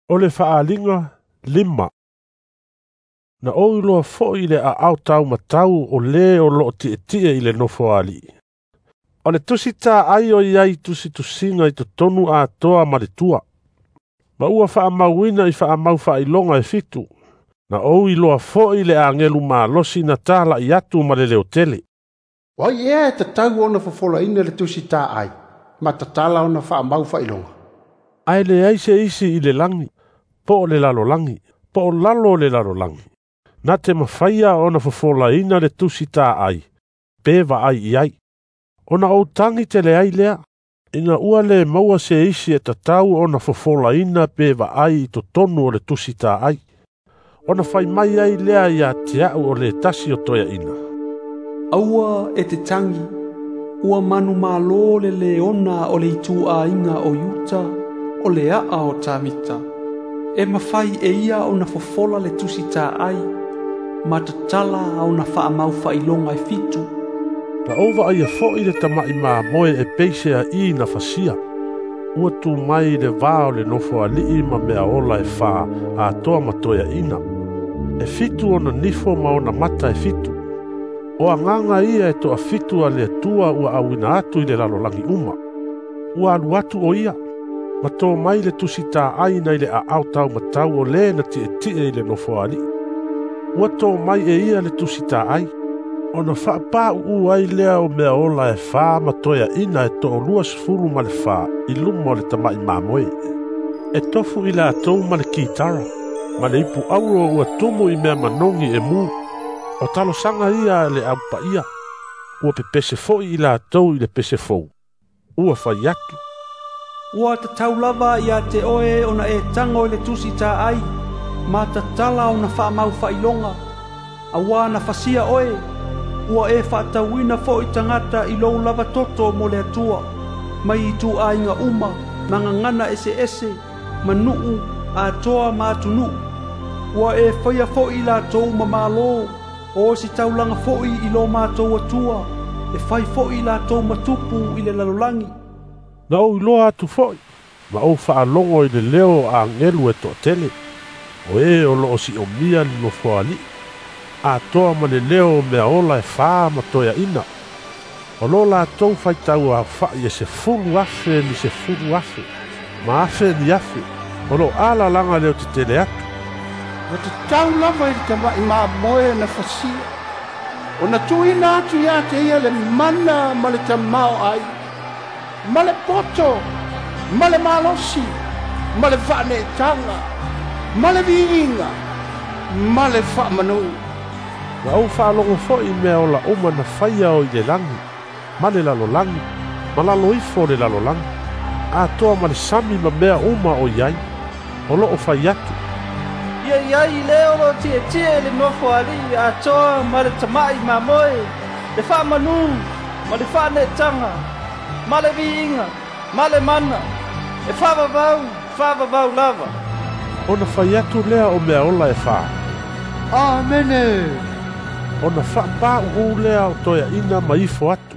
O le faaaliga 5. Na ou iloa foi le aao taumatau o le o loo tietie i le nofoalii. O le tusi taai o iai tusitusiga i totonu atoa ma le tua. Ma ua faamauina i faamau faailoga e 7. Na ou iloa foi le agelu malosi na talai atu ma le leotele. O ai ea e tatau ona fofolaina le tusi taai, ma tatala ona faamau faailoga. Ae leai se isi i le lagi, po o le lalolagi, po o lalo o le lalolagi. Na te mafaia ona fofolaina le tusi taai, pe vaai i ai. Ona ou tagi tele ai lea, ina ua le maua se isi e tatau ona fofolaina pe vaai i totonu o le tusi taai. Ona fai mai ai lea ia te au o le tasi o toeaina. Aua e te tagi, ua manu malo le leona o le ituaiga o Iuta, o le aa o Tavita. E mafai e ia ona fofola le tusi taai, ma tatala ona faamau faailoga e 7. Na ou vaaia foi le tama'i mamoe e peise a'i na fasia. Ua tu mai le va o le nofoalii ma mea ola e 4 atoa ma toeaina. E 7 ona nifo ma ona mata e 7. O agaga ia e toafitu a le Atua ua auina atu i le lalolagi uma. Ua alu atu o ia, ma tō mai le tusi taai na i le aao taumatau o le na tietie i le nofoalii. Ua tō mai e ia le tusi taai, ona faapāuu ai lea o mea ola e 4 ma toeaina e 24 i luma o le tama'i mamoe. E tofu i latou ma le kitara, ma le ipu auro ua tumu i mea manogi e mu. O talosaga ia le aupaia, ua pepese foi i latou i le pese fou. Ua fai atu. Ua tatau lava ia te oe ona e tago i le tusi taai, ma tatala ona faamau faailoga. Auā na fasia oe, ua e faatauina foi tagata i lou lava toto mo le Atua, mai ituaiga uma, ma gagana eseese, ma nuu, atoa ma atunuu. Ua e faia foi i latou ma malo, o si taulaga foi i lo matou Atua, e fai foi i latou matupu i le lalolagi. Na ou iloa atu foi, ma ou faalogo i le leo o agelu e toatele, o e o loo siomia le nofoalii, atoa ma le leo o mea ola e 4 ma toeaina. O lo latou faitau aofa'i e 10,000 ni 10,000, ma afe ni afe, o lo alalaga leo tetele atu. Ua tatau lava i le tama'i mamoe na fasia, ona tuuina atu ia te ia le mana ma le tamaoai, ma le poto, ma le malosi, ma le faaneetaga, ma le viiga, ma le faamanu. Na ou faalogo foi mea ola uma na faia o i le lagi, ma le lalolagi, ma lalo ifo o le lalolagi, atoa ma le sami ma mea uma o iai, o loo fai atu. Ia iai le o lo tietie le nofoalii atoa ma le tama'i mamoe, le faamanu, ma le faaneetaga, ma le viiga, ma le mana, e faavavau, faavavau lava. Ona fai atu lea o mea ola e 4. Amene! Ona faapāuu lea o toeaina ma ifo atu.